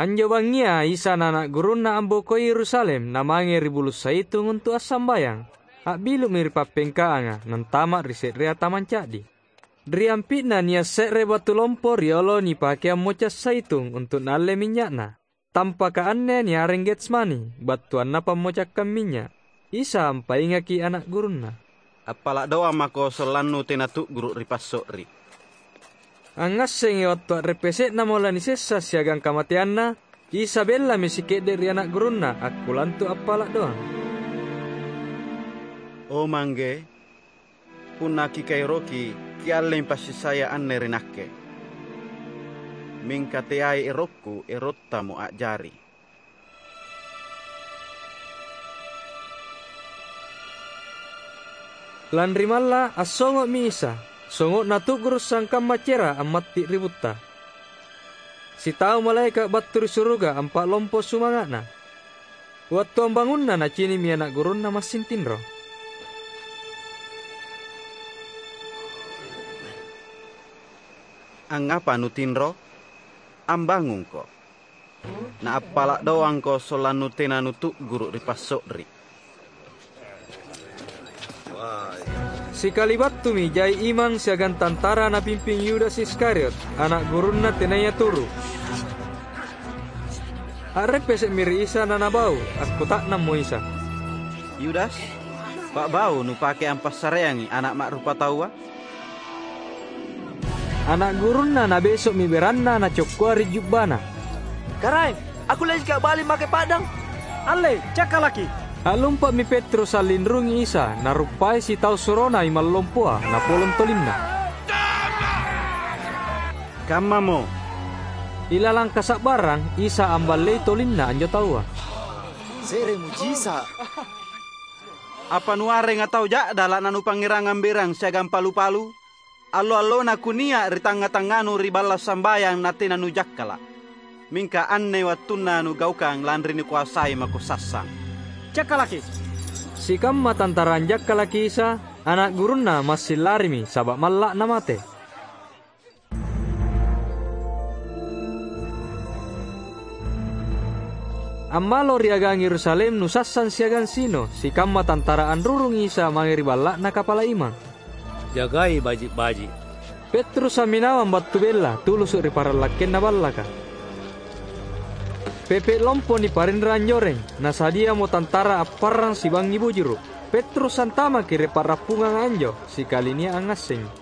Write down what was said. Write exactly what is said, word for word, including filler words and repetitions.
Anjo bangngia Isa na ana' gurunNa ambokoi Yerusalem namange ri Bulu' Zaitung untu' assambayang. A'bilu'mi ri pappengkaanga, nantama' ri se'rea tamang ca'di. Ri ampi'na nia' se're batu lompo riolo nipake ammoca' zaitung untu' naalle minynya'na. Tampaka anne niareng Getsmani, battuanna pammocakkang minynya'. Isa ampaingaki ana' gurunNa. "Appala' doang mako sollannu tena tu'guru' ri passo'ri." Angngassengi wattu a'reppese'namo lanisessa siagang kamateanNa, Isa bellami sike'de' ri ana' gurunNa akkulantu appala' doang. "O Mangge, punna Kikaeroki, Kiallemi passessaya anne ri Nakke. Mingka teai erokKu, erottaMo a'jari." Lanri malla', assongo'mi Isa, songo'na tu'guru' sangkamma cera' ammatti' ri butta. Sitau malaeka' battu ri suruga ampa'lompo sumanga'na. Wattu ambangunna nacini'mi ana' gurunNa massing tinro. "Angngapa nutinro? Ambangungko. Naappala' doangko sollannu tena nutu'guru' ri passo'ri." Sikali battumi jai imang siagang tantara napimping Yudas Iskariot, ana' gurunNa tenaya turu'. A'reppese'mi ri Isa nanabau, akkuta'nammo Isa, "Yudas, pa'bau nupake ampassareangi Ana' Ma'rupataua?" Ana' gurunNa nabeso'mi beranna nacokkoa ri jubbana. "Karaeng, akkulleji ka'bali make pa'dang?" "Allei, cakkalaki!" A'lumpa'mi Petrus allinrungi Isa, naruppai sitau surona imang lompoa, napolong tolinna. Kammamo. Ilalang kasa'barang, Isa amballei tolinna anjo taua. "Se're mujisa'! Apa nuarenga tau ja'dala' nanupangngerangang berang siagang palu-palu? Allo-allona kunia' ri tangnga-tangnganu ri balla' sambayang natena nujakkala'. Mingka anne wattunna nugaukang lanri nikoasai mako sassang." "Cakkalaki!" Sikamma tantara anjakkalaki Isa, ana' gurunNa massing larimi, saba' malla' namate. Ammalo ri agang Yerusalem nusassang siagang sino, sikamma tantara anrurung Isa mange ri balla'na kapala imang. "Jagai baji'-baji'." Petrus amminawang battu bella, tulusu' ri parallakkenna ballaka. Pepe' lompo niparinra anjoreng, nasadiamo tantara apparang sibangngi bujuru'. Petrus antamaki ri pa'rappunganga anjo, sikali nia' angngassengi.